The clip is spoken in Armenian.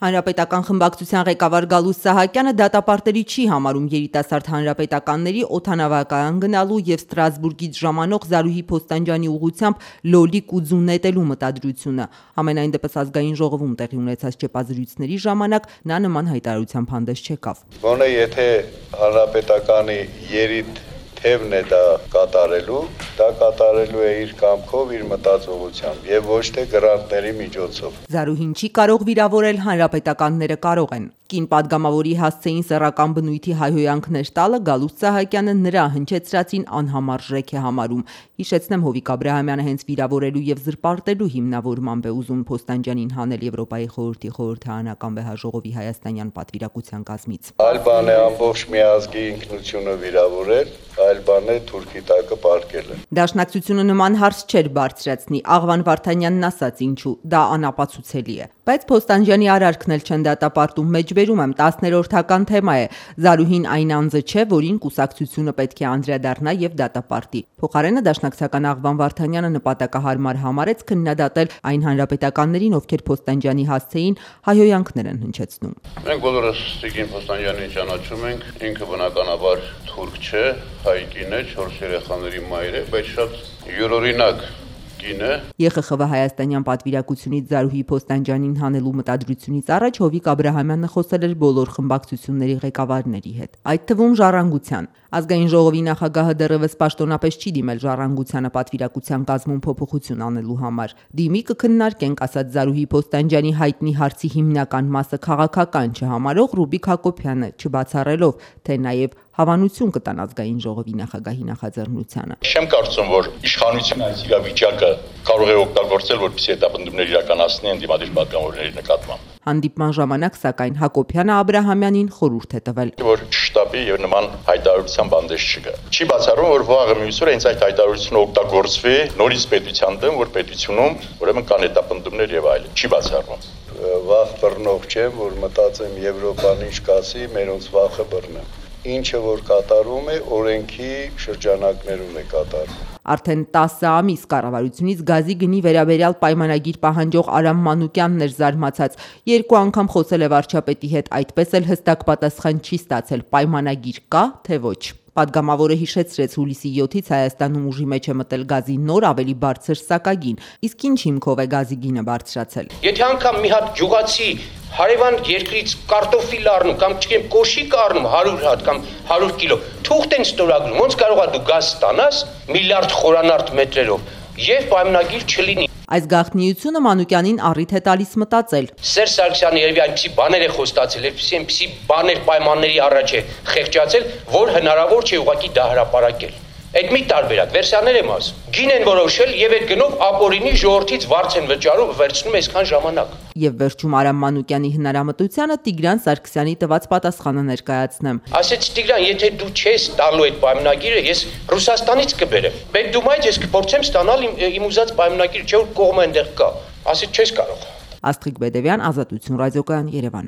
Հանրապետական խմբակցության ղեկավար Գալուստ Սահակյանը դատապարտելի չի համարում երիտասարդ հանրապետականների օդանավակայան գնալու և Ստրասբուրգից ժամանող Զարուհի Փոստանջյանի ուղղությամբ լոլիկ ու ձու նետելու մտադրությունը։ Համենայն դեպս ազգային ժողովում տեղի ունեցած ճեպազրույցների ժամանակ նա նման հայտարարությամբ հանդես չեկավ։ Գոնե եթե հանրապետականի երիտ թևն է դա կատարելու է իր կամքով, իր մտածողությամբ եւ ոչ թե գրանտների միջոցով։ Զարուհին չի կարող վիրավորել, հանրապետականները կարող են։ Կին պատգամավորի հասցեին սեռական բնույթի հայհոյանքներ տալը Գալուստ Սահակյանը նրա հնչեցրածին անհամարժեք է համարում։ Հիշեցնեմ, Հովիկ Աբրահամյանը հենց վիրավորելու եւ զրպարտելու հիմնավորմամբ է ուզում Փոստանջյանին հանել Եվրոպայի խորհրդի խորհրդարանական վեհաժողովի հայաստանյան պատվիրակության կազմից։ Այլ բան է ամբողջ մի ազգի ինքնությունը վիրավորել, այլ բան է թուրքի տակը պարկելը։ Դաշնակցությունը նման հարց չէր բարձրացնի, Աղվան Վարդանյանն ասաց ինչու, դա անապացուցելի է։ Բայց Փոստանջյանի արարքն էլ չեն դատապարտում, մեջբերում եմ 10-րդական թեմա է։ Զարուհին այն անձը չէ, որին կուսակցությունը պետք է անդրադառնա եւ դատապարտի։ Փոխարենը դաշնակցական Աղվան Վարդանյանը նպատակահարմար համարեց քննադատել այն հանրապետականներին, ովքեր Փոստանջյանի հասցեին հայհոյանքներ են հնչեցնում։ Մենք բոլորս Տիկին Փոստանջյանին ճանաչում ենք, ինքը բնականաբար թուրք չէ, հայ կին է, 4 երեխաների մայր է, բայց շատ յուրօրինակ կին է։ ԵԽԽՎ հայաստանյան պատվիրակությունից Զարուհի Փոստանջյանին հանելու մտադրությունից առաջ Հովիկ Աբրահամյանը խոսել էր բոլոր խմբակցությունների ղեկավարների հետ, այդ թվում Ժառանգության։ Ազգային ժողովի նախագահը դեռևս պաշտոնապես չի դիմել Ժառանգությանը պատվիրակության կազմում փոփոխություն անելու համար։ Դիմի կքննարկենք, ասաց Զարուհի Փոստանջյանի հայտնի հարցի հիմնական մասը քաղաքական չհամարող Ռուբիկ Հակոբյանը, չբացառելով, թե նաև հավանություն կտան ազգային ժողովի նախագահի նախաձեռնությանը։ Չեմ կարծում, որ իշխանությունը այս իրավիճակը կարող է օգտագործել, որպեսզի հետապնդումներ իրականացնի ընդդիմադիր պատգամավորների նկատմամբ։ Հանդիպման ժամանակ, սակայն, Հակոբյանը Աբրահամյանին խորհուրդ է տվել, որ շտաբի եւ նման հայտարարության բանդես չկա։ Չի բացառում, որ վաղը մյուս օրը հենց այդ հայտարարությունը օգտագործվի նորից պետության դեմ, որ պետությունում ուրեմն կան հետապնդումներ եւ այլն։ Չի բացառում։ Վախ բռնող չեմ, որ մտածեմ Եվրոպան ինչ կասի, մերոնց վախը բռնեմ։ Ինչը որ կատարում է, օրենքի շրջանակներում է կատարվում։ Արդեն 10 ամիս կառավարությունից գազի գնի վերաբերյալ պայմանագիր պահանջող Արամ Մանուկյանն էր զարմացած։ 2 անգամ խոսել է վարչապետի հետ, այդպես էլ հստակ պատասխան չի ստացել՝ պայմանագիր կա, թե ոչ։ Պատգամավորը հիշեցրեց հուլիսի 7-ից Հայաստանում ուժի մեջ է մտել գազի նոր ավելի բարձր սակագին, իսկ ինչ հիմքով է գազի գինը բարձրացել։ Եթե անգամ մի հատ գյուղացի հարևան երկրից կարտոֆիլ առնում կամ չգիտեմ կոշիկ առնում 100 հատ կամ 100 կիլո, թուղթ են ստորագրում, ոնց կարող է դու գազ ստանաս միլիարդ խորանարդ մետրերով եւ պայմանագիր չլինի։ Այս գաղտնիությունը Մանուկյանին առիթ է տալիս մտածել։ Սերժ Սարգսյանը երևի այնպիսի բաներ է խոստացել, այնպիսի բաներ պայմանների առաջ է խեղճացել, որ հնարավոր չէ ուղղակի դա հրապարակել։ Այդ մի տարբերակ, վերսիաներ եմ ասում։ Գին են որոշել եւ այդ գնով ապօրինի ժողովրդից վարձ են վճարում, վերցնում այսքան ժամանակ։ Եվ վերջում Արամ Մանուկյանի հնարամտությանը Տիգրան Սարգսյանի տված պատասխանը ներկայացնեմ։ Ասեց Տիգրան, եթե դու չես տալու այդ պայմանագիրը, ես Ռուսաստանից կբերեմ։ Պետդումայից ես կփորձեմ ստանալ իմ ուզած պայմանագիրը, չէ՞ որ կողմը այնտեղ կա։ Ասեց չես կարող։ Աստղիկ Բեդևյան, Ազատություն ռադիոկայան, Երևան։